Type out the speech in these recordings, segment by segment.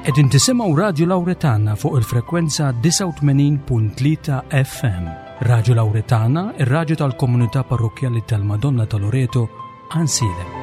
Qegħdin tisimgħu Radju Lawretana fuq il-frekwenza 89.3 FM. Radju Lawretana, ir-radju tal-komunità parrokkjali tal-Madonna ta' Loreto, Ansilem.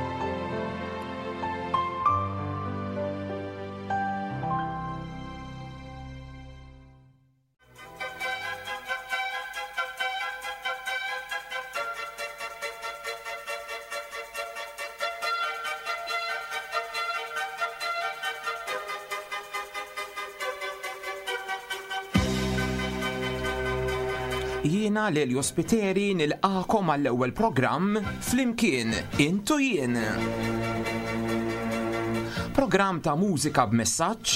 Jiena Lelio Spiteri nilqakom għall-ewwel programm Flimkien Intu Jien. Programm ta' mużika b'messaġġ,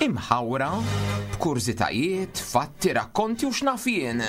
imħawra, b'kurżitajiet, fatti, rakkonti u x'naf jien.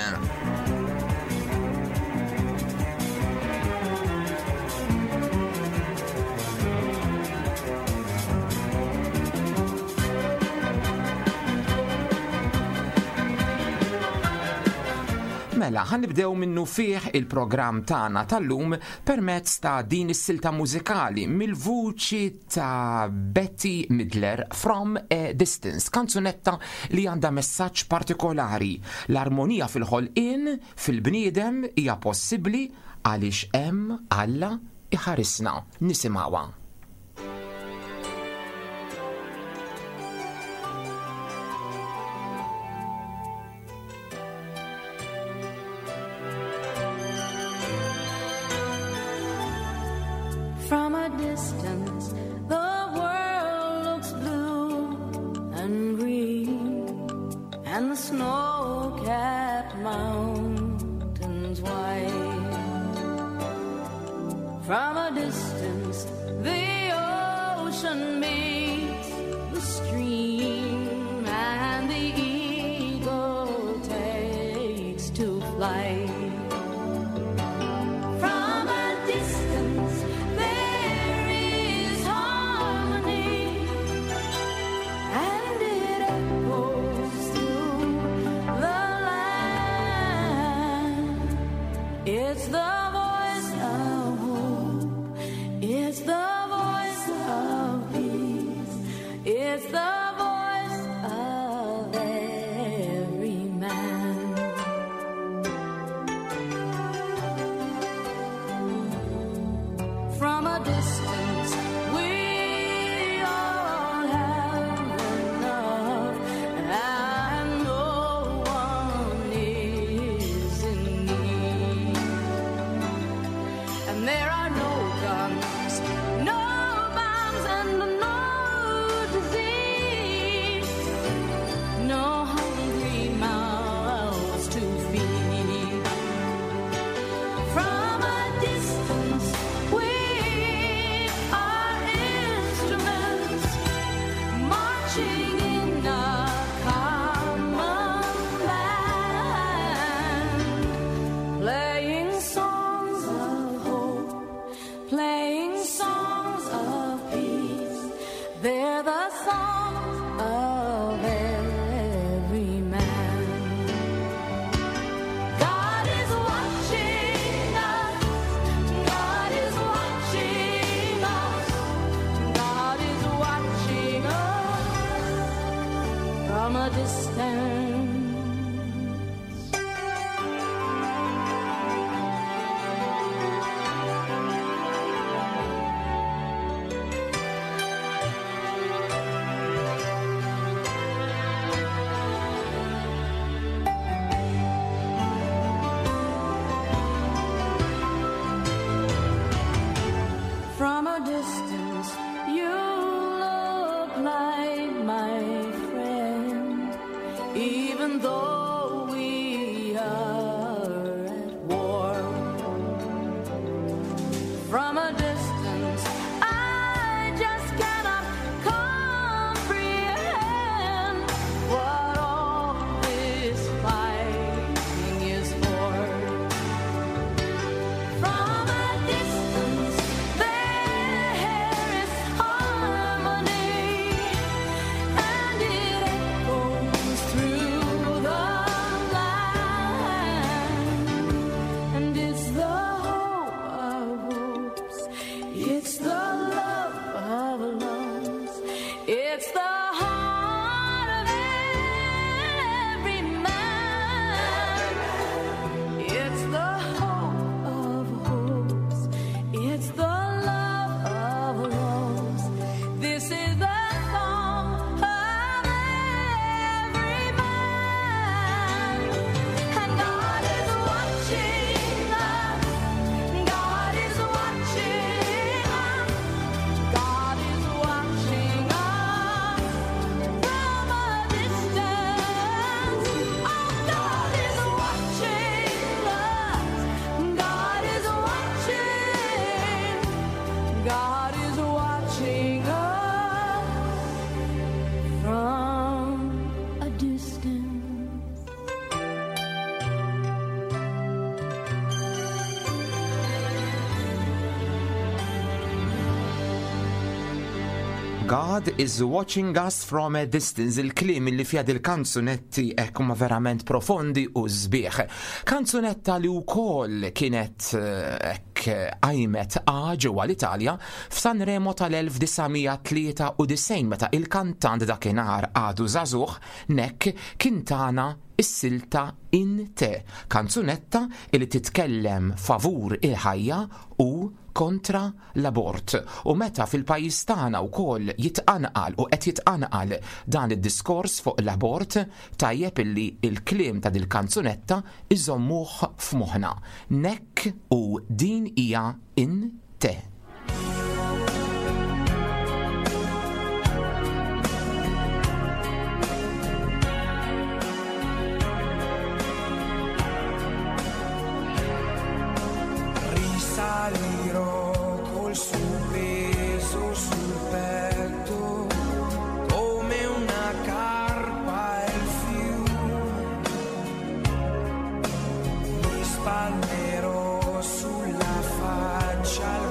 Mela, ħanibdew minnu fih il-programm tagħna tal-lum permezz ta' din is-silta mużikali mill-vuċi ta' Betty Midler From a Distance, kanzunetta li għandha messaġġ partikolari. L-armonija fil-ħolqien, fil-bniedem hija possibbli għaliex hemm Alla iħarisna. Nisimgħuha. From a distance, the world looks blue and green, and the snow-capped mountains white. From a distance, the ocean meets the stream, and the eagle takes to flight. From a distance, there is harmony, and it echoes through the land. It's the voice of hope, it's the voice of peace, it's the voice of every man. From a distance, we all have enough, and no one is in need. And there are no guns, no bombs, and no disease, no hungry mouths to feed. From a distance, we are instruments marching in a common band, playing songs of hope, playing songs of peace. They're the songs of every man. God is watching us. God is watching us. God is watching us from a distance. From a distance, you look like my friend, even though we are at war. From a distance, I just cannot comprehend what all this fighting is for. From a distance, there is harmony, and it echoes through the land. And it's the hope of hopes, it's the love of loves, it's the God is watching us from a distance. Il-kliem li fija dil-kanzunetti hekk huma verament profondi u sbieħ. Kanzunetta li wkoll kienet eh, hekk qajmet a ġewwa l-Italja f'Sanremo tal-1993 meta il-kantant dakinhar għadu żagħżugħ Nek kien tana is-silta In Te, kanzunetta li titkellem favur il-ħajja u kontra l-abort. U meta fil-pajjiż tagħna wkoll jitqanqal u qed jitqanqal dan id-diskors fuq l-abort, tajjeb illi l-kliem ta' dil-kanzunetta iżommuh f'moħħna. Nek u din hija In Te. Risalirò col suo peso sul petto come una carpa il fiume. Mi spalmerò sulla faccia.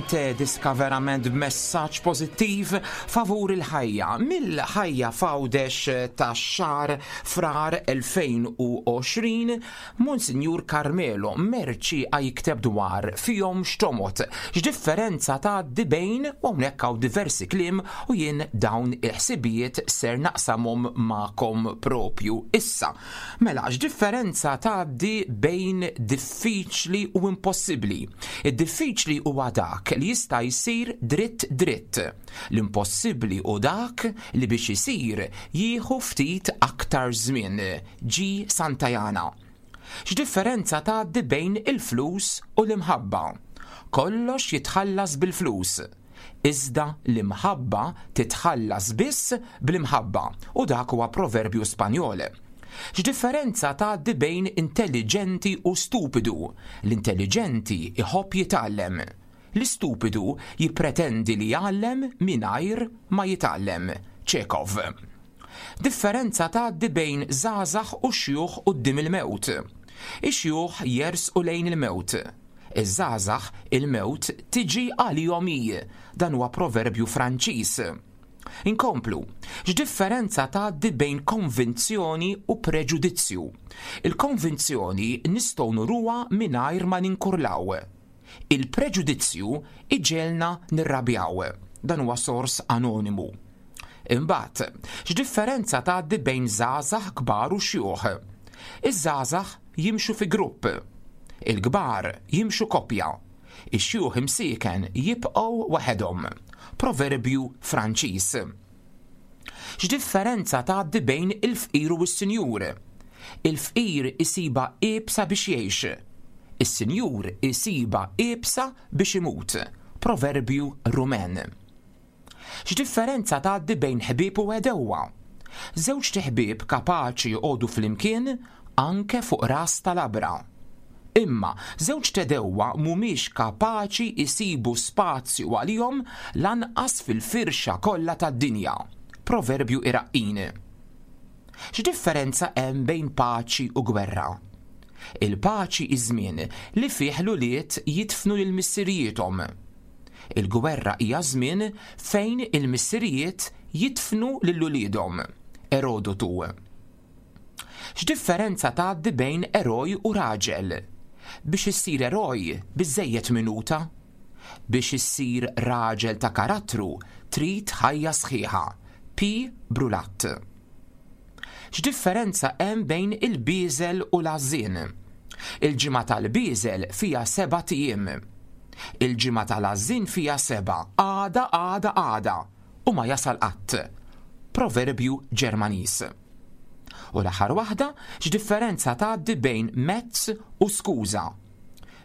Niente, diska verament b'messaġġ pożittiv favur il-ħajja. Mill-ħajja f'Għawdex tax-xahar Frar 2020, Monsinjur Carmelo Mercieca jikteb dwar fihom x'tomgħod, x'differenza tgħaddi bejn, u hawnhekk hawn diversi kliem u jien dawn il-ħsibijiet ser naqsamhom magħkom propju issa. Mela, x'differenza tgħaddi bejn diffiċli u impossibbli? Id-diffiċli huwa dak li jista' jsir dritt dritt. L-impossibbli hu dak li biex isir jieħu ftit aktar żmien. G. Santayana. X'differenza tgħaddi bejn il-flus u l-imħabba? Kollox jitħallas bil-flus. Iżda l-imħabba titħallas biss bl-imħabba, u dak huwa proverbju Spanjol. X'differenza tgħaddi bejn intelliġenti u stupidu? L-intelliġenti jħobb jitgħallem. L-istupidu jippretendi li jgħallem mingħajr ma jitgħallem. Chekhov. Differenza tgħaddi bejn żgħażagħ u xjuħ quddiem il-mewt. Ix-xjuħ jersqu lejn il-mewt. Iż-żgħażagħ il-mewt tiġi għalihom hi. Dan huwa proverbju Franċiż. Inkomplu. X'differenza tgħaddi bejn konvinzjoni u preġudizzju? Il-konvinzjoni nistgħu nuruha mingħajr ma ninkurlaw. Il-preġudizzju iġegħelna nirrabjaw. Dan huwa sors anonimu. Imbagħad, x'differenza tgħaddi bejn żgħażagħ kbar u xjuħ? Iż-żgħażagħ jimxu fi grupp. Il-kbar jimxu koppja. Ix-xjuħ imsieken jibqgħu waħedhom. Proverbju Franċiż. X'differenza tgħaddi bejn il-fqir u s-sinjur? Il-fqir isibha iebsa biex jgħix. Is-sinjur isibha iebsa biex imut. Proverbju Rumen. X'differenza tgħaddi bejn ħbieb u għedewwa? Żewġt iħbieb kapaċi joqogħdu flimkien anke fuq ras ta' labra. Imma żewġt għedewwa mhumiex kapaċi jsibu spazju għalihom lanqas fil-firxa kollha tad-dinja. Proverbju Iraqqin. X'differenza hemm bejn paċi u gwerra? Il-paċi hi żmien li fih l-ulied jidfnu lil missirijiethom. Il-gwerra hija żmien fejn il-missirijiet jidfnu lil uliedhom. Erodotu. X'differenza tgħaddi bejn eroj u raġel? Biex issir eroj biżżejjed minuta. Biex issir raġel ta' karattru trid ħajja sħiħa. P. Brulat. X'differenza hemm bejn il-bieżel u l-għażżien? Il-ġimgħa tal-bieżel fiha sebat ijiem. Il-ġimgħa tal-għażżien fiha sebgħa, għada, għada, għada, u ma jasal qatt. Proverbju Ġermaniż. U l-aħħar waħda, x'differenza tgħaddi bejn mezz u skuża?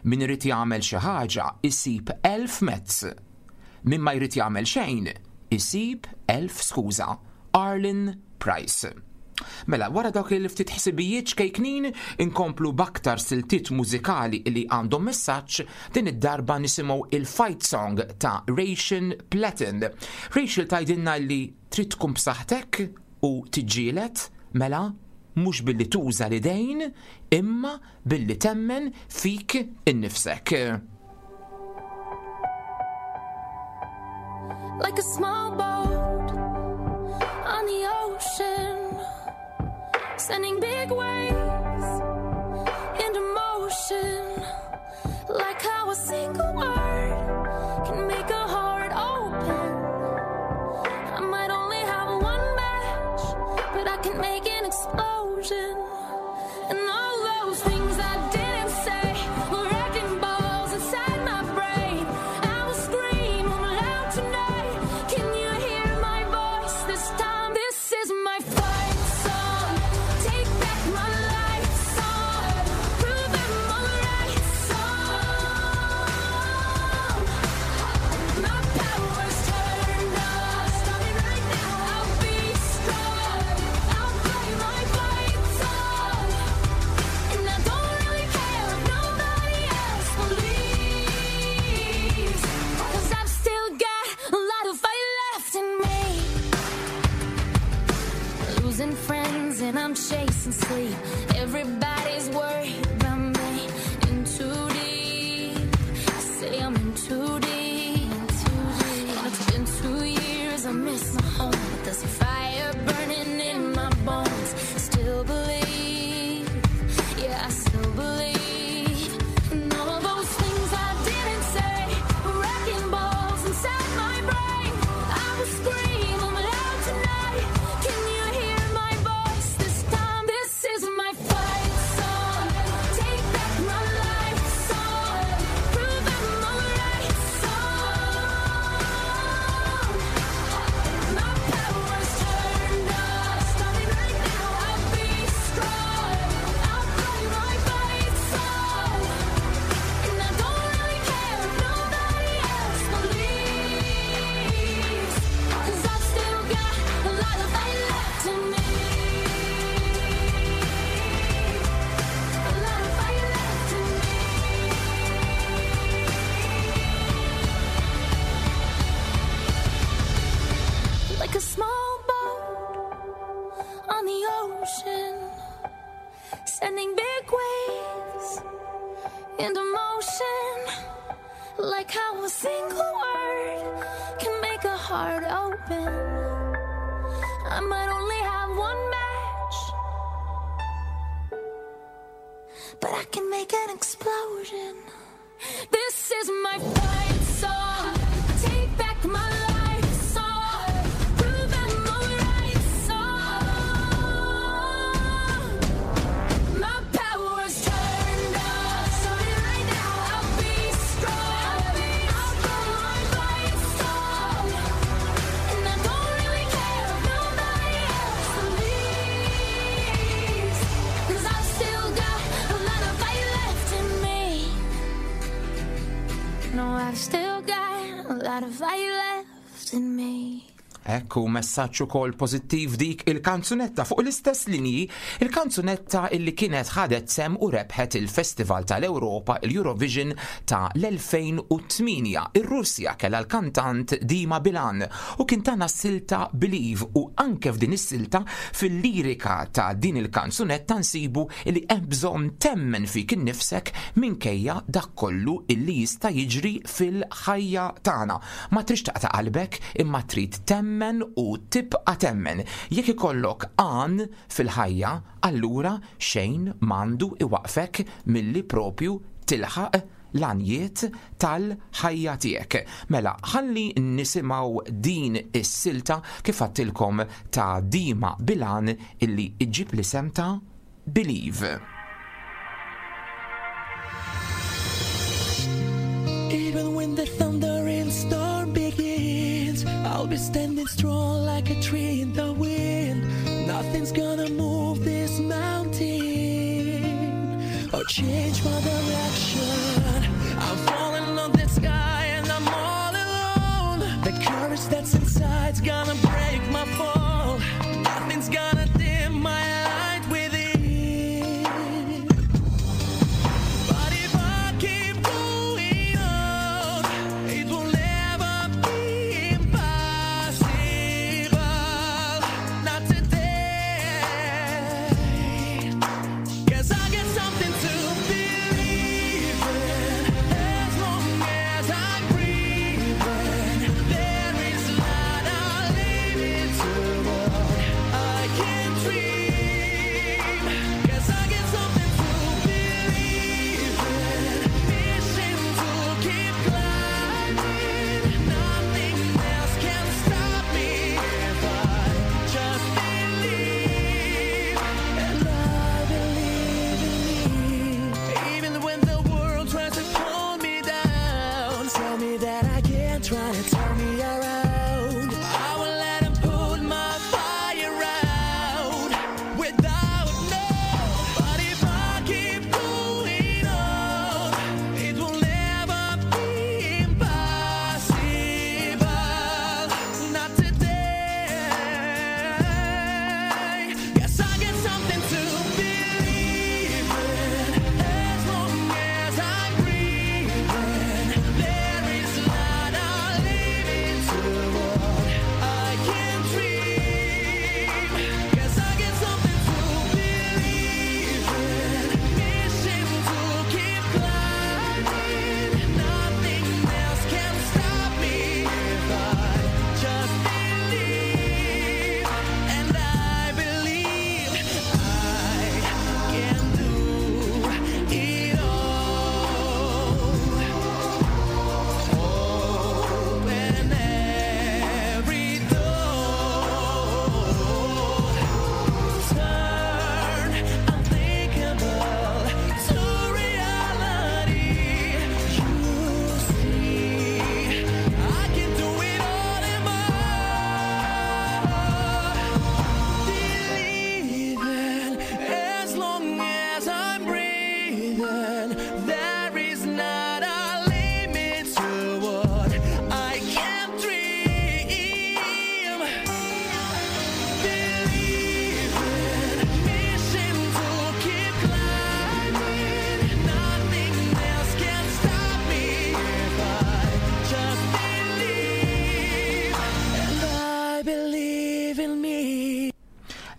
Min irid jagħmel xi ħaġa jsib elf mezz. Min ma jrid jagħmel xejn, isib elf skuża. Arlene Price. Mela, wara dawk il-ftit ħsibijiet ċkejknin, inkomplu b'aktar siltiet mużikali li għandhom messaġġ, din id-darba nisimgħu il-fight song ta' Rachel Platten. Rachel tgħidilna li trid tkun b'saħħtek u tiġġieled, mela mhux billi tuża l-idejn, imma billi temmen fik innifsek. Like a small boat on the ocean, sending big waves into motion. Like how a single word can make a heart open. I might only have one match, but I can make an explosion. And all those things I didn't say were wrecking balls inside my brain. I will scream 'em loud tonight. Can you hear my voice this time? This is my fight song. Take back my life song. Prove I'm all right song. My power's turned on. Starting right now. I'll be strong. I'll play my fight song. And I don't really care if nobody else believes. 'Cause I've still got a lot of fight left in me. Losing friends and I'm chasing sleep. Everybody's worried about me. In too deep. I say I'm in too deep. There's a fire burning in my bones. Still believe, yeah, I still believe. And all of those things I didn't say, wrecking balls inside my brain. I will scream them loud tonight. Can you hear my voice this time? This is my fight song. Take back my life song. Prove I'm alright song. My power's turned on. Starting right now, I'll be strong. I'll play my fight song. And I don't really care if nobody else believes. 'Cause I've still got a lot of fight left in me. A lot of fight left in me. Like a small boat on the ocean, sending big waves into motion. Like how a single word can make a heart open. I might only have one match, but I can make an explosion. This is my fight song. Take back my life song. Prove I'm alright song. My power's turned on. Starting right now, I'll be strong. I'll play my fight song. And I don't really care if nobody else believes. 'Cause I've still got a lot of fight left in me. No, I've still got a lot of fight left in me. Ekku, messaġġ ukoll pożittiv dik il-kanzunetta fuq l-istess linji, il-kanzunetta illi kienet ħadet sehem u rebħet il-Festival tal-Ewropa, il-Eurovision ta' l-2008. Ir-Russja kellha l-kantant Dima Bilan u kien tana silta Believe, u anke f'din is-silta, fil-lirika ta' din il-kanzunetta, nsibu li hemm bżonn temmen fik innifsek minkejja dak kollu illi jista' jiġri fil-ħajja tagħna. Ma trix taqta' qalbek, imma trid temmen u tibqa' temmen. Jekk ikollok għan fil-ħajja, allura xejn m'għandu iwaqfek milli propju tilħaq l-għanjiet tal-ħajja tiegħek. Mela, ħalli nisimgħu din is-silta, kif għedtilkom, ta' Dima Bilan illi iġib l-isem ta' Believe. Even when the thunder and storm begins, I'll be standing strong like a tree in the wind. Nothing's gonna move this mountain or change my direction. I'm falling on the sky and I'm all alone. The courage that's inside's gonna break my fall. Nothing's gonna dim my light within. But if I keep going on, it will never be impossible. Not today. 'Cause I got something to believe in. As long as I'm breathing, there is not a limit to what I can.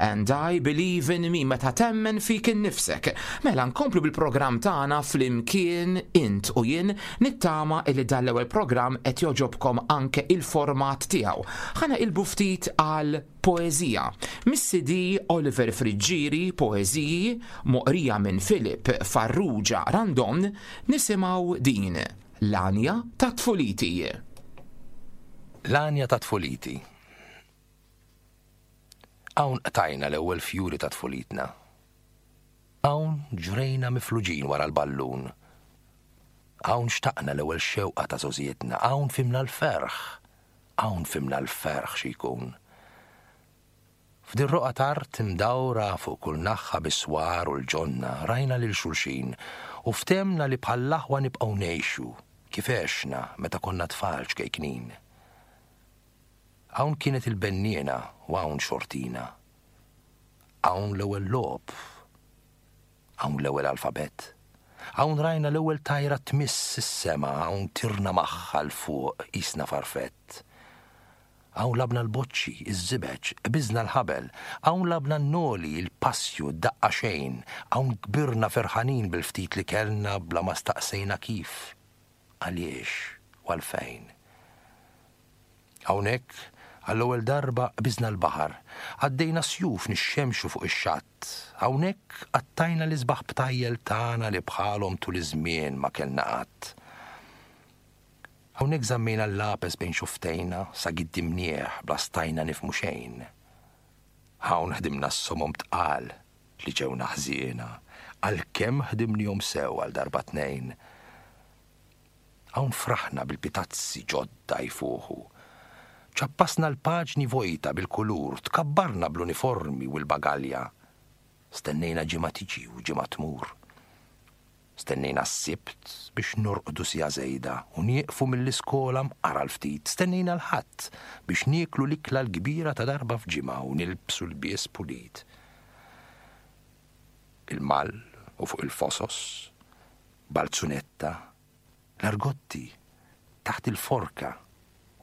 And I Believe in Me, meta temmen fik innifsek. Mela nkomplu bil-programm tagħna flimkien int u jien nittama illi dan l-ewwel programm qed jogħġobkom anke il-format tiegħu. Ħa naqilbu ftit għal poeżija. Mis-CD Oliver Friggieri, Poeżiji, moqrija minn Philip Farrugia Randon, nisimgħu din, L-Għanja ta' Tfuliti. L-Għanja ta' Tfuliti. Hawn qtajna l-ewwel fjuri ta' tfulitna. Hawn ġrejna mifluġin wara l-ballun. Hawn xtaqna l-ewwel xewqa ta' żgħożietna. Hawn fhimna l-ferħ. Hawn fhimna l-ferħ xi jkun. F'dir-roqgħa t'art imdawra fuq kull naħha bis-swar u l-ġonna rajna lil xulxin u ftehmna li bħall-aħwa nibqgħu ngħixu kif għexna meta konna tfal ċkejknin. Hawn kienet il-benniena u hawn xortina. Hawn l-ewwel logħob. Hawn l-ewwel alfabett. Hawn rajna l-ewwel tajra tmiss is-sema, hawn tirna magħha 'l fuq qisna farfett. Hawn lagħbna l-boċċi, iż-żibeġ, qbiżna l-ħabel, hawn lagħbna n-noli, il-passju, d-daqqa xejn, hawn kbirna ferħanin bil-ftit li kellna bla ma staqsejna kif, għaliex u għalfejn. Hawnhekk, għall-ewwel darba qbiżna l-baħar, għaddejna sjuf nixxemxu fuq ix-xatt. Hawnhekk qattajna l-isbaħ btajjel tagħna li bħalhom tul iż-żmien ma kellna qatt. Hawnhekk żammejna l-lapes bejn xufftejna sa giddimnieh bla stajna nifhmu xejn. Hawn ħdimna s-somom tqal li ġewna ħżiena, għalkemm ħdimniehom sew għal darba tnejn. Hawn fraħna bil-pitazzi ġodda jfuħu. Ċappasna l-paġni vojta bil-kulur, tkabbarna bl-uniformi u l-bagalja. Stennejna ġimgħa tiġi u ġimgħa tmur. Stennejna s-Sibt biex norqdu siegħa żejda u nieqfu mill-iskola mqar għal ftit. Stennejna l-Ħadd biex nieklu l-ikla l-kbira ta' darba f'ġimgħa u nilbsu lbies pulit. Il-mall u fuq il-fosos, Balzunetta, l-Argotti, taħt il-forka,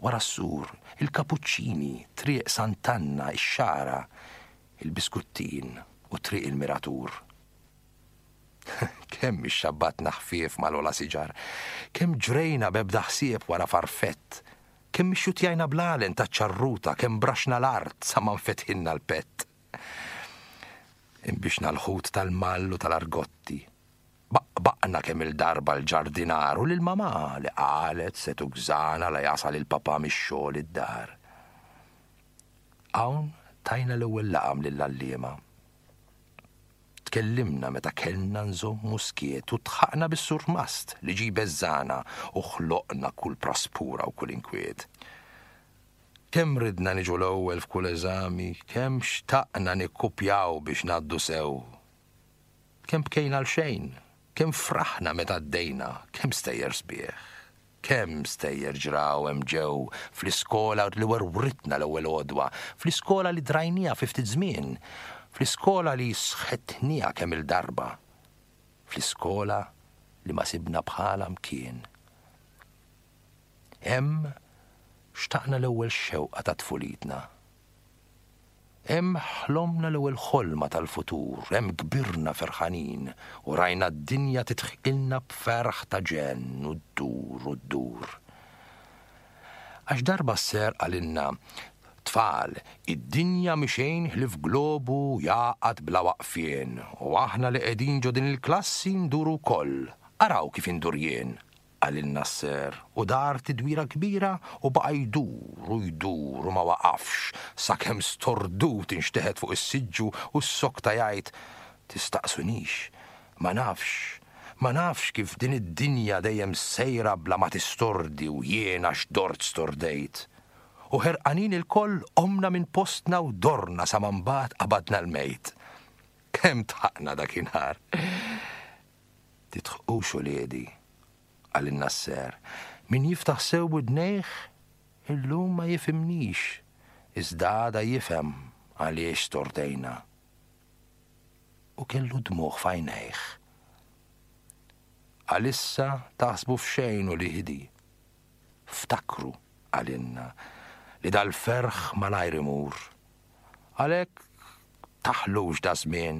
wara s-sur, il-Kapuċċini, Triq Sant'Anna, ix-Xagħra, il-Biskuttin u Triq il-Miratur. Kemm ixxabbatna ħfief mal-ogħla siġar, kemm ġrejna b'ebda ħsieb wara farfett, kemm ixxuttjajna bl-għalen taċ-ċarruta, kemm braxna l-art sa ma nfetħilna l-pett. Inbixna l-ħut tal-mall u tal-argotti. Baqbaqna kemm-il darba l-ġardinar u lil mamà li qalet se tugżana la jasal il-papà mix-xogħol id-dar. Hawn tajna l-ewwel laqam lill-għalliema. Tkellimna meta kellna nżommu skiet u dħaqna bis-surmast li ġie jbeżżagħna u ħloqna kull praspura u kull inkwiet. Kemm ridna niġu l-ewwel f'kull eżami, kemm xtaqna nikkupjaw biex ngħaddu sew. Kemm bkejna għalxejn, kemm fraħna meta għaddejna, kemm stejjer sbieħ, kemm stejjer ġraw hemm ġew fl-iskola li werwritna l-ewwel għodwa, fl-iskola li drajnieha fi ftit żmien, fl-iskola li sħetnieha kemm-il darba, fl-iskola li ma sibna bħalha mkien. Hemm xtaqna l-ewwel xewqa ta' tfulitna. Hemm ħlomna l-ewwel ħolma tal-futur, hemm kbirna ferħanin u rajna d-dinja tidħqilna b'ferħ ta' ġenn u ddur u ddur. Għax darba s-Ser qalilna, Tfal, id-dinja mhi xejn ħlief globu jagħqad bla waqfien u aħna li qegħdin ġo din il-klassi nduru wkoll. Araw kif indur jien! Qalilna s-Sir, u dar tidwira kbira u baqa' jdur u jdur u ma waqafx sakemm stordut inxteħet fuq is-siġġu u ssokta jgħid, Tistaqsunix, ma nafx, ma nafx kif din id-dinja dejjem sejra bla ma tistordi u jien għax dort stordejt. U ħerqanin ilkoll qomna minn postna u dorna sa ma mbagħad qabadna l-mejt. Kemm dħaqna dakinhar! Tidħqux uliedi, qalilna s-Ser. Min jiftaħ sew widnejh, illum ma jifhimnix, iżda għada jifhem għaliex stordejna. U kellu dmugħ f'għajnejh. Għalissa taħsbu f'xejn uliedi. Ftakru, qalilna, li dal-ferħ malajr imur. Għalhekk. Taħlux daż-żmien,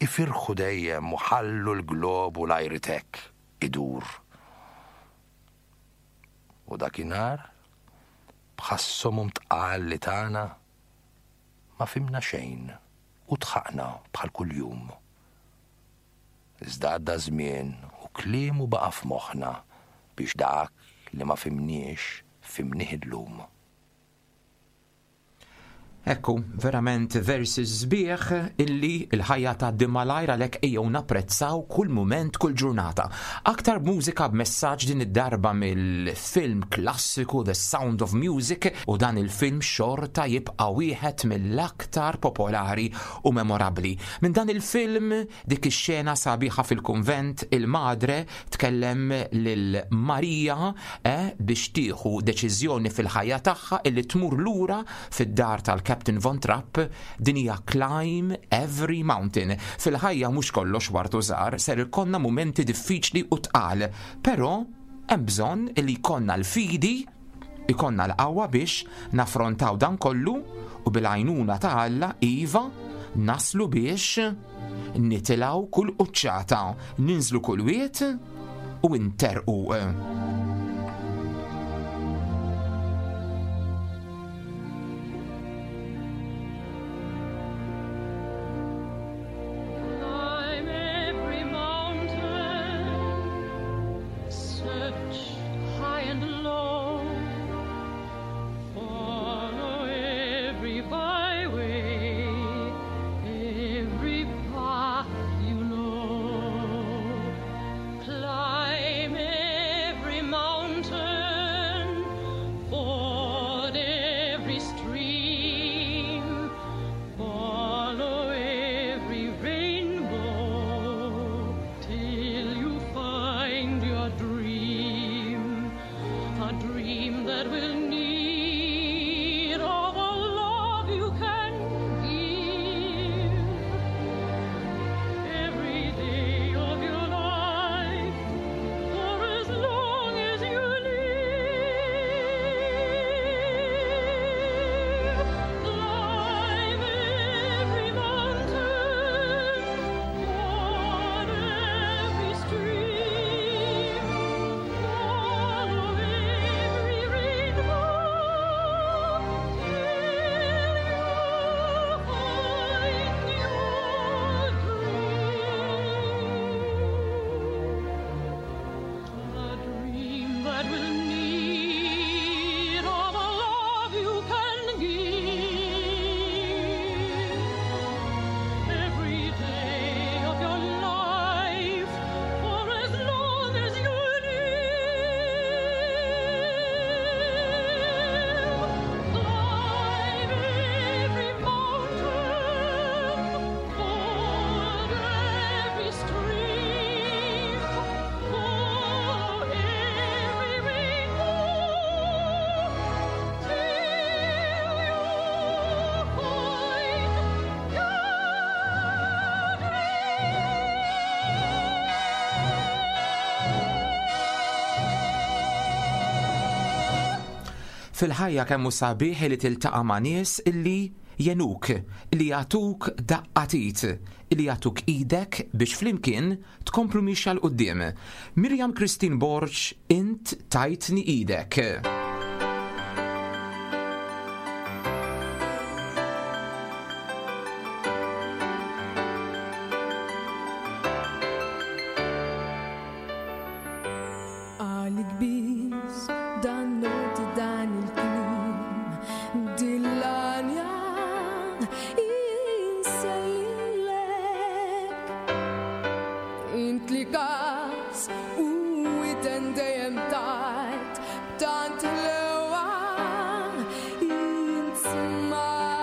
ifirħu dejjem u ħallu l-globu l-ajritek idur. U dakinhar, bħas-somom tqal li tana, ma fhimna xejn u dħaqna bħal kuljum. Iżda għadda ż-żmien u kliemu baqa' f'moħħna biex dak li ma fhimniex fhimnih illum. Ekku, verament versi sbieħ illi l-ħajja tgħaddi malajr għalhekk ejjew napprezzaw kull mument, kull ġurnata. Aktar mużika b'messaġġ din id-darba mill-film klassiku The Sound of Music u dan il-film xorta jibqa' wieħed mill-aktar popolari u memorabbli. Minn dan il-film dik ix-xena sabiħa fil-kunvent il-madre tkellem lil Marija eh, biex tieħu deċiżjoni fil-ħajja tagħha illi tmur lura fid-dar tal-Captain Von Trapp, din hija Climb Every Mountain. Fil-ħajja mhux kollox ward u żgħar, ser ikollna mumenti diffiċli u tqal, però hemm bżonn illi jkollna l-fidi, ikollna l-qawwa biex naffrontaw dan kollu u bil-għajnuna ta' Alla, iva, naslu biex nitilgħu kull quċċata, ninżlu kull wied u nterqu. Climb every mountain, search high and low, follow every byway, every path you know. Climb every mountain, ford every stream, follow every rainbow till you find your dream, a dream that will need all the love you can give. Every day of your life, for as long as you live, climb every mountain, ford every stream, follow every rainbow till you find your dream. A dream that will need all the love you can give. Every day of your life, for as long as you live, climb every mountain, ford every stream, follow every rainbow till you find your Fil-ħajja kemm hu sabiħ li tiltaqa' ma' nies illi jgħinuk, illi jagħtuk daqqa t'id, illi jagħtuk idek biex flimkien tkomplu miexja 'l quddiem. Miriam Christine Borg, Int tajtni idek. Għalik biss dan noti dan il-kliem dil-għanja insellilek. Int li kas u widen dejjem tajt b'tant ħlewa int smajt.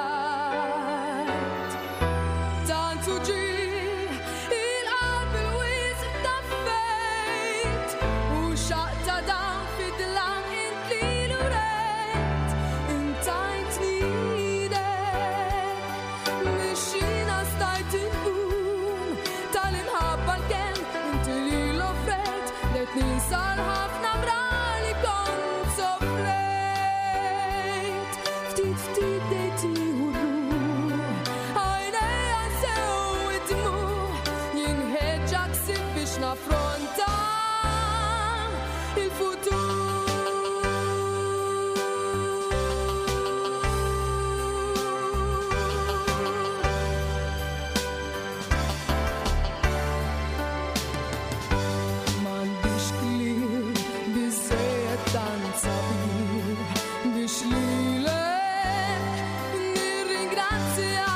Tant uġigħ il-qalb il-wisq taffejt u xaqta dan fid-dlam int li l-urejt. Intajtni idek mixina stajt inqum tal-imħabba l-kenn inti li l-offrejt let ninsar ħafna mrali kont soffrejt. biex naffronta il-futur. M'għandix kliem biżżejjed tant sabiħ biex lilek nirringrazzja.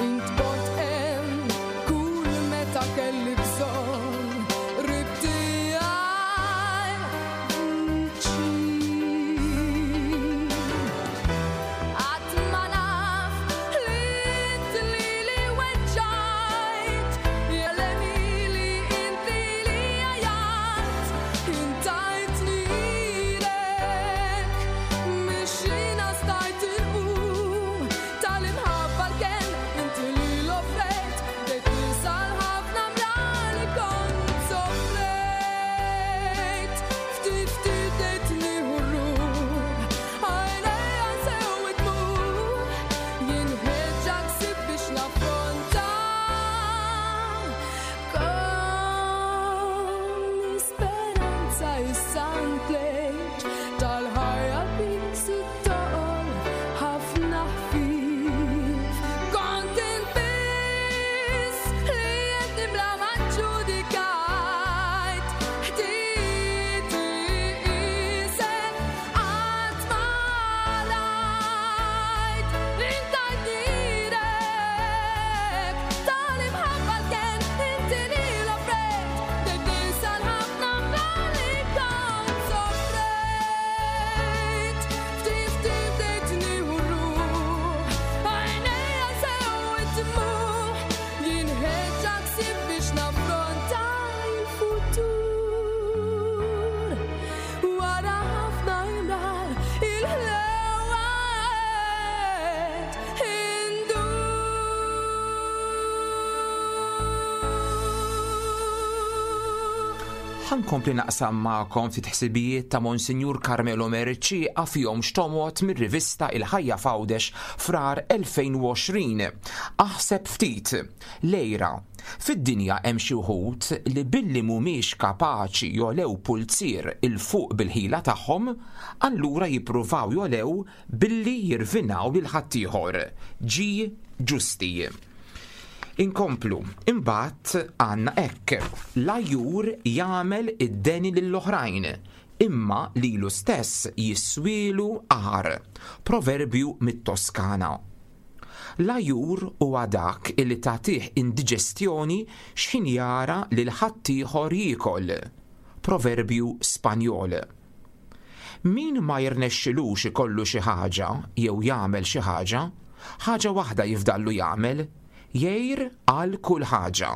Int kont hemm kull meta kelli bżonn qrib tiegħi viċin. Qatt ma naf li int lili weġġajt, jelleni li inti li għajjat, intajtni lilek, mixina stajt inqum, tal-imħabba l-kenn inti li l-offrejt, bdejt ninsa l-ħafna mrar li kont soffrejt. Ftit ftit bdejt nieħu r-ruħ, għajnejja sew id-dmugħ, jien ħeġġa ksib biex naffronta. Con speranza issa ntlejt tal-ħajja biss it-toqol ħafna ħfif. Kont inbiss li qed nibla ma ġudikajt. Ħtieti isek qatt ma rajt. Intajt lilek tal-imħabba l-kenn inti li l-offrejt. Bdejt ninsa l-ħafna mrar li kont soffrejt. Ftit ftit bdejt nieħu r-ruħ, għajnejja sew id-dmugħ, jien ħeġġa ksib biex naffronta l-futur. Wara ħafna imrar il-ħlewa qed indur. Ħa nkompli naqsam magħkom ftit ħsibijiet ta' Monsinjur Carmelo Mercieca fihom xtomot mir-rivista Il-Ħajja f'Għawdex frar 2020. Aħseb ftit, lejra. Fid-dinja hemm xi wħud li billi mhumiex kapaċi jolew pulzier 'il fuq bil-ħila tagħhom, allura jippruvaw jolew billi jirvinaw lil ħaddieħor. G. Ġusti. Inkomplu, imbagħad għandna hekk. L-għajjur jagħmel id-deni lill-oħrajn, imma lilu stess jiswielu qahar. Proverbju mit-Toskana. L-għajjur huwa dak illi tagħtih indiġestjoni x'ħin jara lil ħaddieħor jiekol. Proverbju Spanjol. Min ma jirnexxilux ikollu xi ħaġa jew jagħmel xi ħaġa, ħaġa waħda jifdallu jagħmel, jgħir għal kull ħaġa.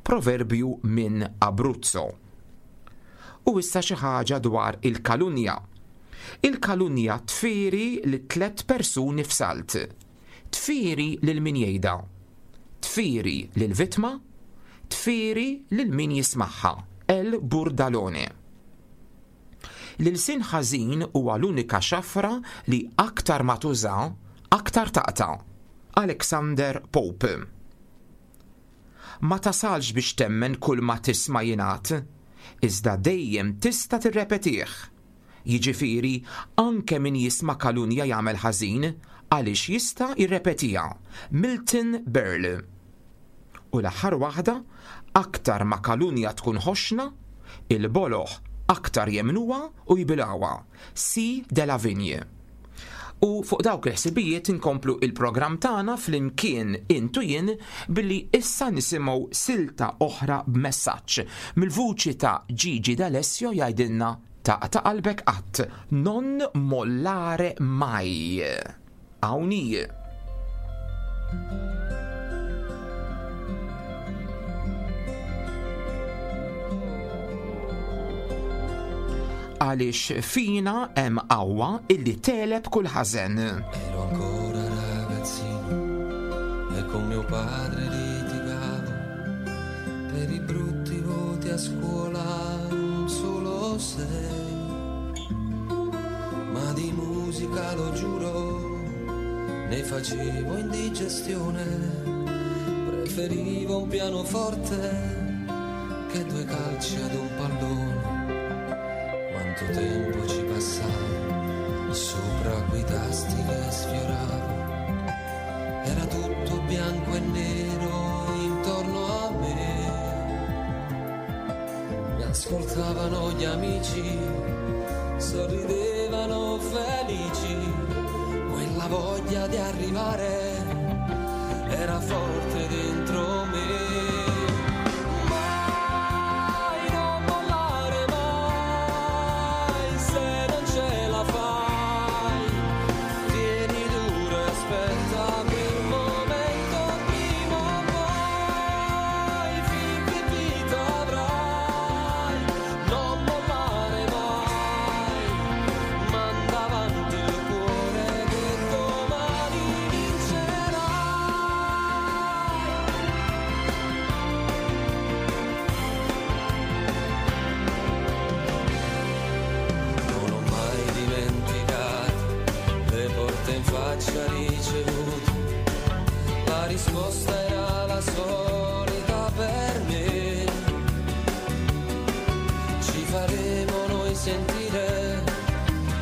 Proverbju minn Abruzzo. U issa xi ħaġa dwar il-kalunja. Il-kalunja tfieri li tlet persuni f'salt. Tfieri lil min jgħidha. Tfieri lil vittma, tfieri lil min jismagħha. El Burdalone. L-ilsien ħażin huwa l-unika xafra li aktar ma tuża, aktar taqta'. Alexander Pope. Ma tasalx biex temmen kull ma tisma' jingħad, iżda dejjem tista' tirrepetih. Jiġifieri, anke min jisma' kalunja jagħmel ħażin għaliex jista' jirrepetiha. Milton Berle. U l-aħħar waħda, aktar ma kalunja tkun ħoxna, il-boloh aktar jemmnuha u jbilgħuha. C. De la Vigne. U fuq dawk il-ħsibijiet inkomplu il-programm tagħna flimkien int u jien billi issa nisimgħu silta oħra b'messaġġ mill-vuċi ta' Gigi D'Alessio jgħidilna taqta' qalbek qatt, non mollare mai. Hawn hi. Għaliex fina hemm qawwa illi tegħleb kull ħażen. Ero ancora ragazzino e con mio padre litigavo per i brutti voti a scuola, solo sei. Ma di musica, lo giuro, ne facevo indigestione. Preferivo un pianoforte che due calci ad un pallone. Quanto tempo ci passavo sopra quei tasti che sfioravo. Era tutto bianco e nero intorno a me. Mi ascoltavano gli amici, sorridevano felici. Quella voglia di arrivare era forte dentro me. Mai, non mollare mai, se non ce la fai, tieni duro e aspetta quel momento prima o poi, finché vita avrai, non mollare mai, manda avanti il cuore che domani vincerai. Non ho mai dimenticato le porte in faccia ricevute, la risposta era la solita per me. Ci faremo noi sentire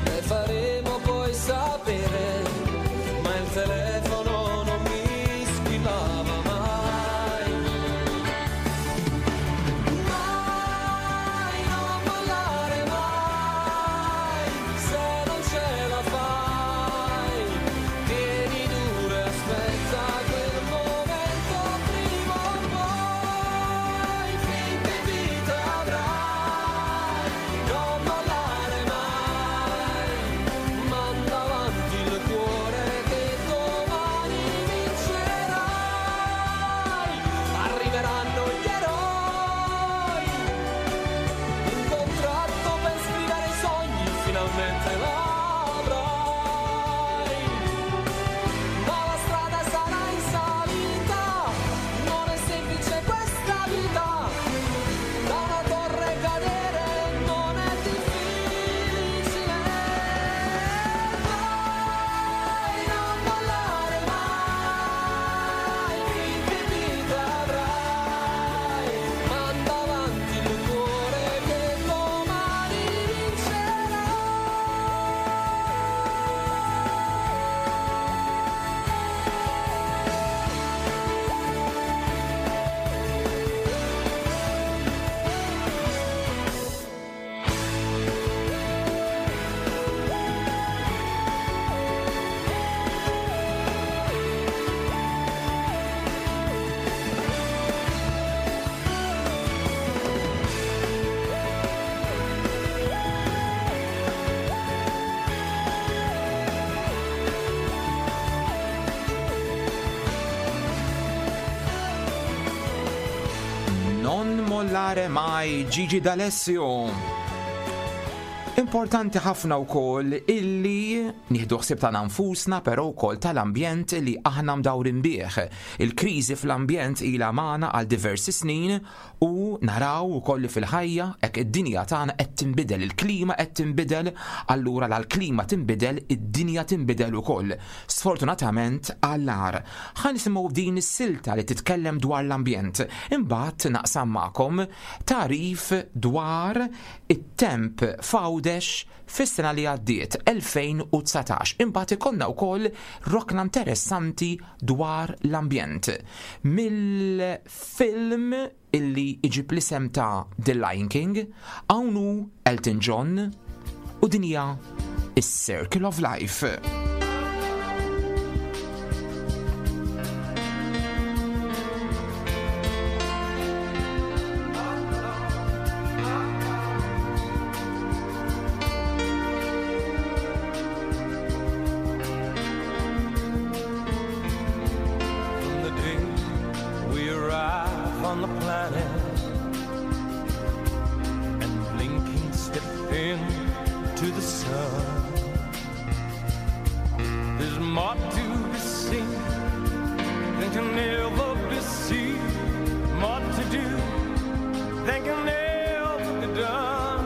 e faremo poi sapere, ma il telefono non mi squillava mai. Mai, non mollare mai, se non ce la fai, tieni duro e aspetta quel momento prima o poi, finché vita avrai, non mollare mai, manda avanti il cuore che domani vincerai, arriveranno gli eroi, un contratto per scrivere i sogni finalmente l'avrai, ma la strada sarà in salita, non è semplice questa vita, da una torre cadere non è difficile. Mai, non mollare mai, finché vita avrai, manda avanti il cuore che domani vincerà. Non mollare mai Gigi D'Alessio. Importanti ħafna wkoll illi nieħdu ħsieb tagħna nfusna però wkoll tal-ambjent li aħna mdawrin bih. Il-kriżi fl-ambjent ilha magħna għal diversi snin u naraw ukoll li fil-ħajja hekk id-dinja tagħna qed tinbidel, il-klima qed tinbidel, allura la l-klima tinbidel, id-dinja tinbidel ukoll. Sfortunatament għall-agħar. Ħa nisimgħu din is-silta li titkellem dwar l-ambjent. Imbagħad naqsam magħkom tagħrif dwar it-temp f'Għawdex fis-sena li għaddiet 2019. Imbagħad ikollna wkoll rokna interessanti dwar l-ambjent. Mill-film illi iġib l-isem ta' The Lion King, hawn hu Elton John u din hija is-Circle of Life. From the day we arrive on the planet and blinking step into the sun, there's more to be seen than can ever be seen, more to do than can ever be done.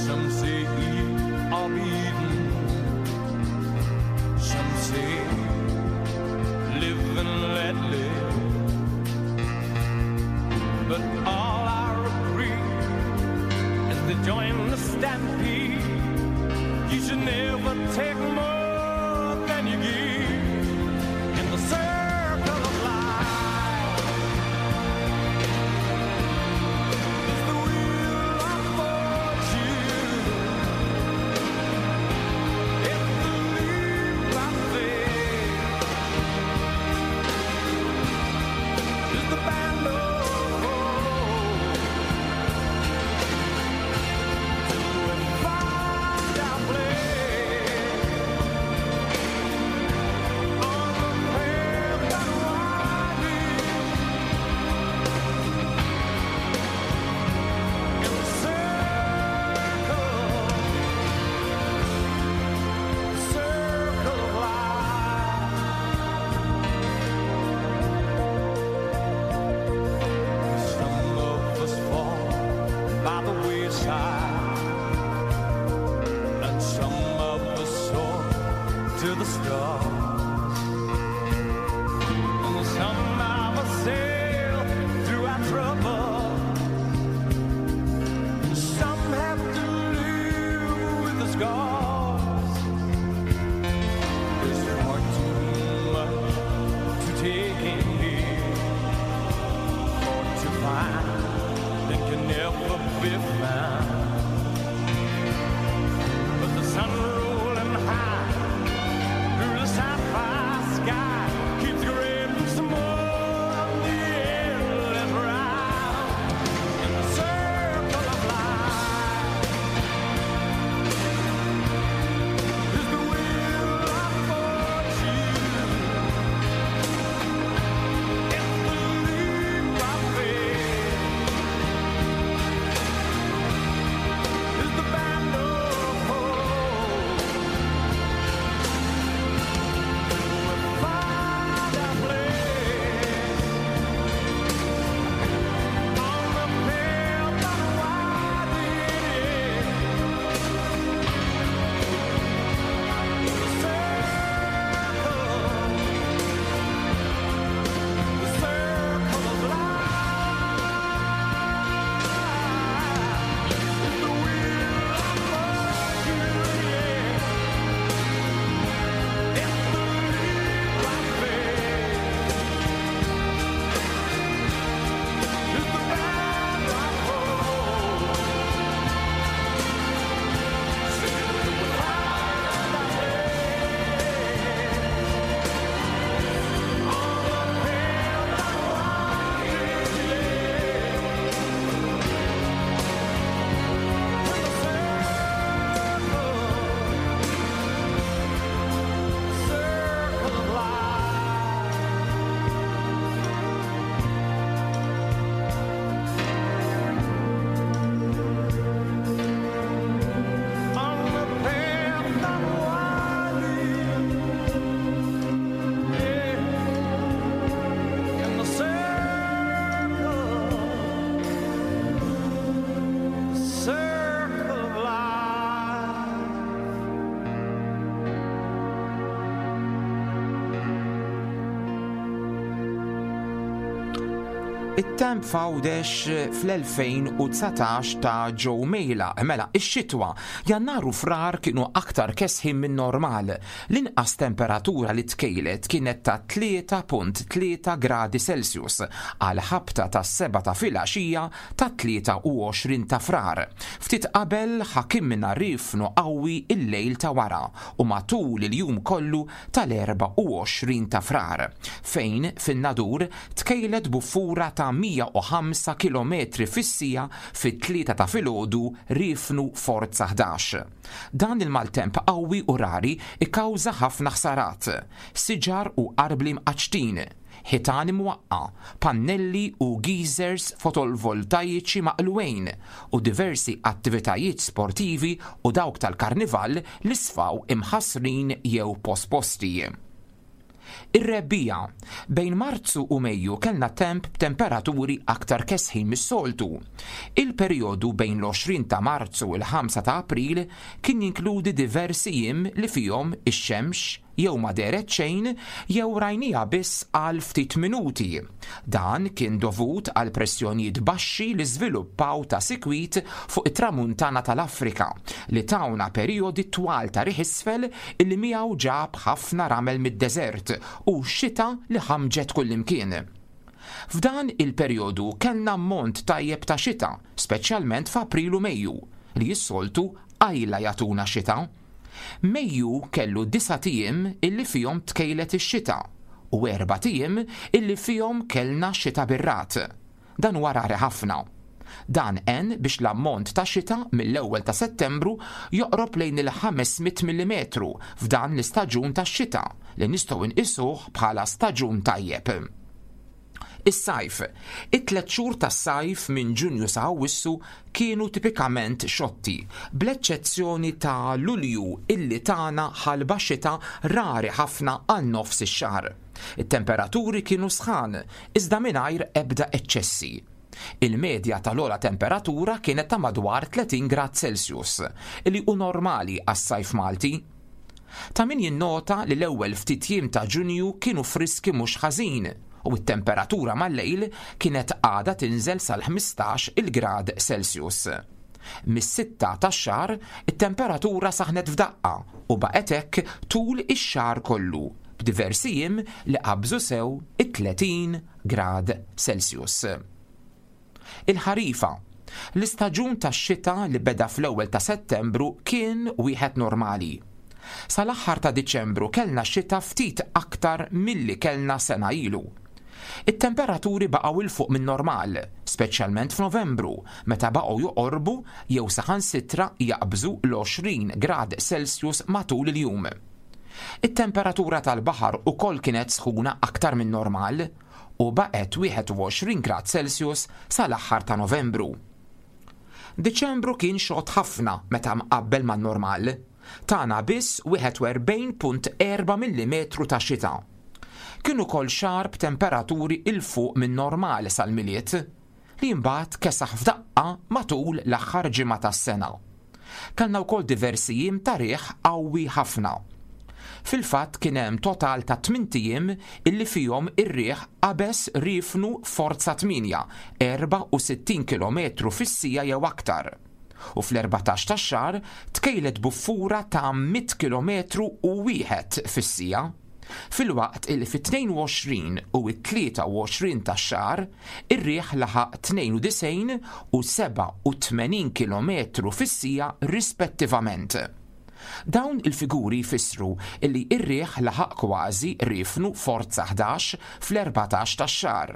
Some say eat or be eaten. Some say high, and some of us soar to the stars. And some of us sail through our trouble. Some have to live with the scars. There's far too much to take in here, or to find that can never be found. But the sun rolling high through the sapphire sky keeps great and small on the endless round in the circle of life. Is the wheel of fortune. It's the leap of faith. Is the band of hope. We find our place on the pale but winding The circle of life is the wheel of fortune, yeah. It's the leap of faith. It's the band of hope. Say we find our place on the pale but winding Circle of life. On the path that winding, yeah. In the circle, circle of life. It-temp f'Għawdex fl-2019 ta' Joe Mejla, mela ix-xitwa, Jannar u Frar kienu aktar kesħin minn normal. L-inqas temperatura li tkejlet kienet ta' 3.3 gradi Celsius għal ħabta tas-7 ta' filgħaxija tat-23 ta' Frar. Ftit qabel ħakimna riefnu qawwi l-lejl ta' wara u matul il-jum kollu tal-24 ta' Frar, fejn fin-Nadur tkejlet buffura ta' 105 kilometri fis-siegħa fit-tlieta ta' filgħodu riefnu forza 11. Dan il-maltemp qawwi u rari kkawża ħafna ħsarat, siġar u arbli mqaċċtin, ħitan imwaqqa', pannelli u geysers fotolvoltajiċi maqlugħin u diversi attivitajiet sportivi u dawk tal-karnival li sfaw imħassrin jew posposti. Ir-rebbiegħa. Bejn Marzu u Mejju kellna temp b'temperaturi aktar kesħin mis-soltu. Il-perjodu bejn l-20 ta' Marzu u l-5 ta' April kien jinkludi diversi jiem li fihom ix-xemx jew ma dehret xejn jew rajniha biss għal ftit minuti. Dan kien dovut għal pressjonijiet baxxi li żviluppaw ta' sikwit fuq it-Tramuntana tal-Afrika li tawna perijodi twal ta' riħ isfel illi miegħu ġab ħafna ramel mid-deżert u xita li ħammġet kullimkien. F'dan il-perjodu kellna ammont tajjeb ta' xita, speċjalment f'April u Mejju, li s-soltu qajla jagħtuna xita. Mejju kellu disat ijiem illi fihom tkejlet ix-xita u erbat ijiem illi fihom kellna xita bir-ragħad. Dan huwa rari ħafna. Dan għen biex l-ammont ta' xita mill-ewwel ta' Settembru joqrob lejn il-500 millimetru f'dan l-istaġun tax-xita li nistgħu nqisuh bħala staġun tajjeb. Is-sajf. It-tliet xhur tas-sajf minn Ġunju sa Awwissu kienu tipikament xotti, bl-eċċezzjoni ta' Lulju illi tana ħalba xita rari ħafna għal nofs ix-xahar. It-temperaturi kienu sħan, iżda mingħajr ebda eċċessi. Il-medja tal-ogħla temperatura kienet ta' madwar 30 grad Celsius, li hu normali għas-sajf Malti. Ta' min jinnota li l-ewwel ftit jiem ta' Ġunju kienu friski mhux ħażin u t-temperatura mal-lejl kienet għadha tinżel sal-15 il grad Celsius. Mis-sitta tax-xahar, it-temperatura saħnet f'daqqa u baqgħet hekk tul ix-xahar kollu, b'diversi jiem li qabżu sew it-30 grad Celsius. Il-ħarifa. L-istaġun tax-xita li beda fl-ewwel ta' Settembru kien wieħed normali. Sal-aħħar ta' Diċembru kellna xita ftit aktar milli kellna sena ilu. It-temperaturi baqgħu 'l fuq min-normal, speċjalment f'Novembru, meta baqgħu joqorbu jew saħansitra jaqbżu l-20 grad Celsius matul il-jum. It-temperatura tal-baħar ukoll kienet sħuna aktar min-normal u baqgħet 21 grad Celsius sal-aħħar ta' Novembru. Diċembru kien xott ħafna meta mqabbel man-normal. Tana biss 41.4 millimetru ta' xita. Kien ukoll xahar b'temperaturi 'l fuq min-normal sal-Milied, li mbagħad kesaħ f'daqqa matul l-aħħar ġimgħa tas-sena. Kellna wkoll diversi jiem ta' riħ qawwi ħafna. Fil-fatt kien hemm total ta' tmint ijiem illi fihom ir-riħ qabeż riefnu forza 8, 64 kilometru fis-siegħa jew aktar. U fl-erbatax tax-xahar tkejlet buffura ta' mitt kilometru u wieħed fis-siegħa. Filwaqt illi fit-22 u t-23 tax-xahar ir-riħ laħaq 92 u 87 kilometru fis-siegħa rispettivament. Dawn il-figuri jfissru illi r-riħ laħaq kważi riefnu forza 11 fl-erbatax tax-xahar,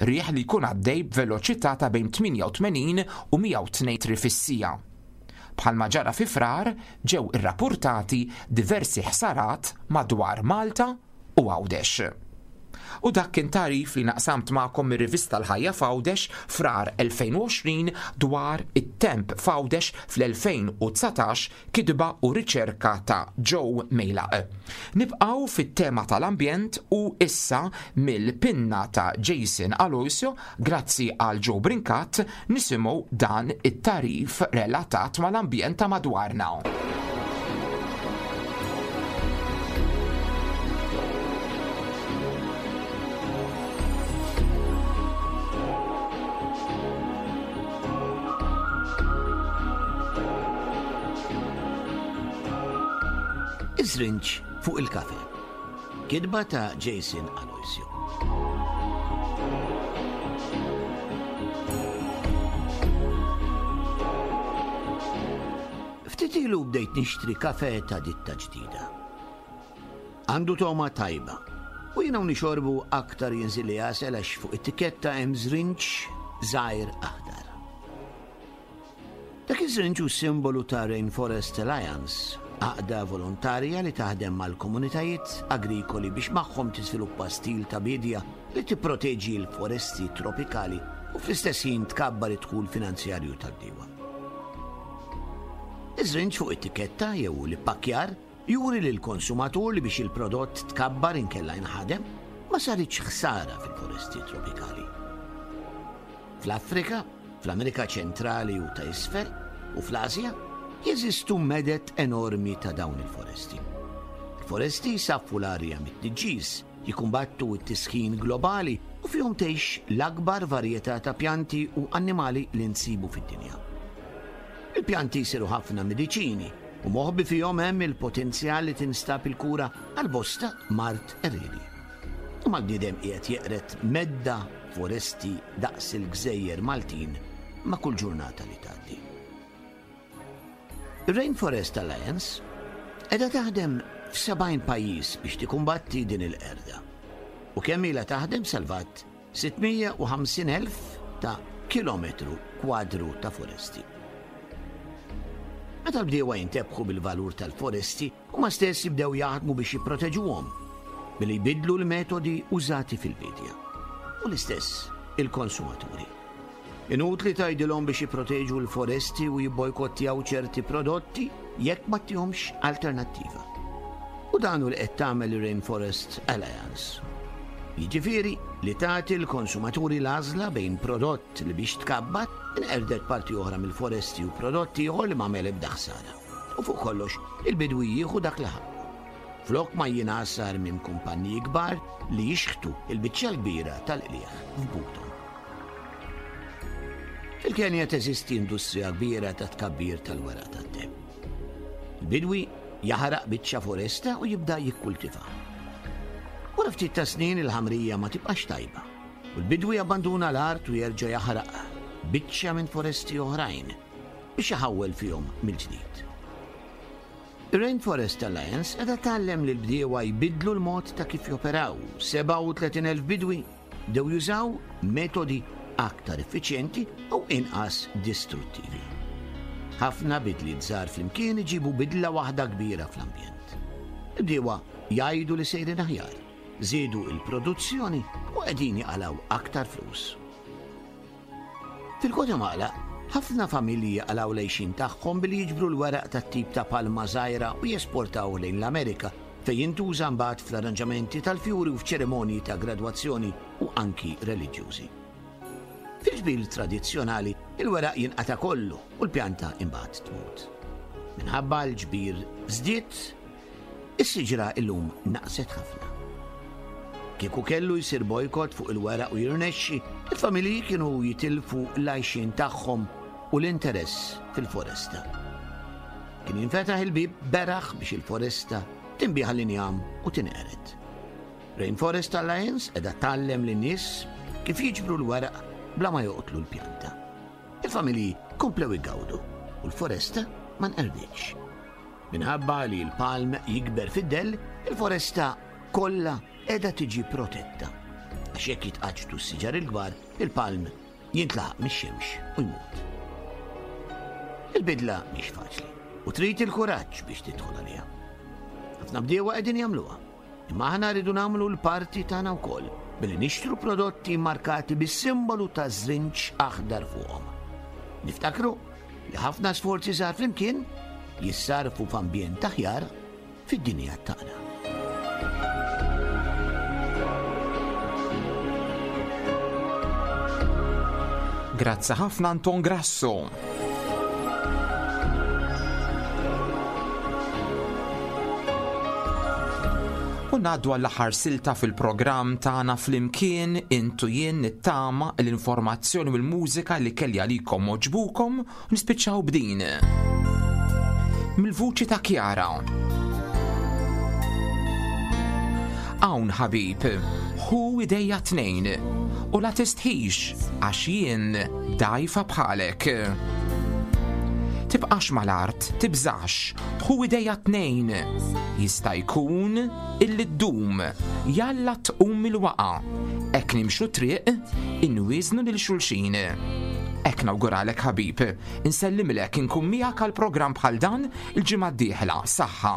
riħ li jkun għaddej b'veloċità ta' bejn 88 u 102 metri fis-siegħa. Bħalma ġara fi Frar, ġew irrappurtati diversi ħsarat madwar Malta u Għawdex. U dak kien tagħrif li naqsamt magħkom mir-rivista L-Ħajja f'Għawdex, Frar 2020, dwar it-temp f'Għawdex fl-2019, kitba u riċerka ta' Joe Mejlaq. Nibqgħu fit-tema tal-ambjent u issa mill-pinna ta' Jason Aloisio Grazzi għal Joe Brincat nisimgħu dan it-tagħrif relatat mal-ambjent ta' madwarna. Iż-żrinġ fuq il-kafe. Kitba ta' Jason Aloisio. Ftit ilu bdejt nixtri kafe ta' ditta ġdida. Għandu togħma tajba u jiena u nixorbu aktar jinżilli għasel għax fuq it-tikketta hemm żrinġ żgħir aħdar. Dak iż-żrinġ hu simbolu ta' Rainforest Alliance, għaqda volontarja li taħdem mal-komunitajiet agrikoli biex magħhom tiżviluppa stil ta' biedja li tipproteġi l-foresti tropikali u fl-istess ħin tkabbar id-dħul finanzjarju tal-bdiewa. Iż-żrinġ fuq it-tikketta jew l-ippakkjar juri lill-konsumatur li biex il-prodott tkabbar inkella jinħadem, ma saritx ħsara fil-foresti tropikali. Fl-Afrika, fl-Amerika Ċentrali u ta' Isfel, u fl-Asja, jeżistu meded enormi ta' dawn il-foresti. Il-foresti jsaffu l-arja mit-tniġġis, jikkumbattu t-tisħin globali u fihom tgħix l-akbar varjetà ta' pjanti u annimali li nsibu fid-dinja. Il-pjanti jsiru ħafna mediċini u moħbi fihom hemm il-potenzjal li tinstab il-kura għal bosta mard qerriedi. Imma l-bniedem qiegħed jeqred medda foresti daqs il-gżejjer Maltin ma' kull ġurnata li tgħaddi. Ir-Rainforest Alliance qiegħda taħdem f'70 pajjiż biex tikkumbatti din il-qerda. U kemm ilha taħdem salvat 650,000 ta' kilometru kwadru ta' foresti. Meta l-bdiewa jintebħu bil-valur tal-foresti, Huma stess jibdew jaħdmu biex jipproteġuhom billi jbiddlu l-metodi użati fil-biedja. U l-istess il-konsumaturi. Inutli tgħidilhom biex jipproteġu l-foresti u jibbojkottjaw ċerti prodotti jekk ma ttihomx alternattiva. U dan hu li qed tagħmel ir-Rainforest Alliance. Jiġifieri li tagħti l-konsumaturi l-għażla bejn prodott li biex tkabbar inqerdet parti oħra mill-foresti u prodott ieħor li m'għamel ebda ħsara. U fuq kollox, il-bidwi jieħu dak li ħaqqu. Flok ma jingħasar minn kumpanniji kbar li jixħtu l-biċċa l-kbira tal-qligħ f'buthom. Fil-Kenja teżisti industrija kbira ta' tkabbir tal-weraq tat-te. Il-bidwi jaħraq biċċa foresta u jibda jikkultiva. Wara ftit ta' snin il-ħamrija ma tibqax tajba u l-bidwi jabbanduna l-art u jerġa' jaħraq biċċa minn foresti oħrajn biex iħawwel fihom mill-ġdid. Ir-Rainforest Alliance qiegħda tgħallem lill-bdiewa jbiddlu l-mod ta' kif joperaw. 37,000 bidwi bdew jużaw metodi aktar effiċjenti u inqas distruttivi. Ħafna bidliet żgħar flimkien iġibu bidla waħda kbira fl-ambjent. Il-bdiewa jgħidu li sejrin aħjar, żiedu l-produzzjoni u qegħdin jaqalgħu aktar flus. Fil-Gwatemala, ħafna familji jaqalgħu l-għixien tagħhom billi jiġbru l-weraq tat-tip ta' palma żgħira u jesportawh lejn l-Amerika fejn jintuża mbagħad fl-arranġamenti tal-fjuri u f'ċerimonji ta' gradwazzjoni u anki reliġjużi. Fil-ġbir tradizzjonali, il-weraq jinqata' kollu u l-pjanta imbagħad tmut. Minħabba l-ġbir żdied, is-siġra illum naqset ħafna. Kieku kellu jsir bojkott fuq il-weraq u jirnexxi, il-familji kienu jitilfu l-għajxien tagħhom u l-interess fil-foresta. Kien jinfetaħ il-bieb beraħ biex il-foresta tinbiegħ għall-injam u tinqered. Rainforest Alliance qiegħda tgħallem lin-nies kif jiġbru l-weraq bla ma joqtlu l-pjanta. Il-familji komplew igawdu u l-foresta ma nqerditx. Minħabba li l-palm jikber fid-dell, il-foresta kollha qiegħda tiġi protetta. Għax jekk jitqaċċtu s-siġar il-kbar, il-palm jintlaħaq mix-xemx u jmut. Il-bidla mhix faċli u trid il-kuraġġ biex tidħol għaliha. Ħafna bdiewa qegħdin jagħmluha. Imma aħna rridu nagħmlu l-parti tagħna wkoll billi nixtru prodotti markati bis-simbolu ta' żrinġ aħdar fuqhom. Niftakru li ħafna sforzi żgħar flimkien jissarfu f'ambjent aħjar fid-dinja tagħna. Grazzi ħafna Anton Grasso. U ngħaddu għall-aħħar silta fil-programm tagħna flimkien intu jien nittama l-informazzjoni u l-mużika li kelli għalikom moġbukom u nispiċċaw b'din. Mill-vuċi ta' Kjara. Hawn ħabib, hu idejja tnejn u la tistħix għax jien dgħajfa bħalek. Tibqax mal-art, tibżax, hu idejja tnejn. Jista' jkun illi ddum, jalla tqum mill-waqa. Hekk nimxu triq, inwiżnu lil xulxin. Hekk nawguralek ħabib, insellimlek inkun miegħek għal programm bħal dan il-ġimgħa d-dieħla. Saħħa.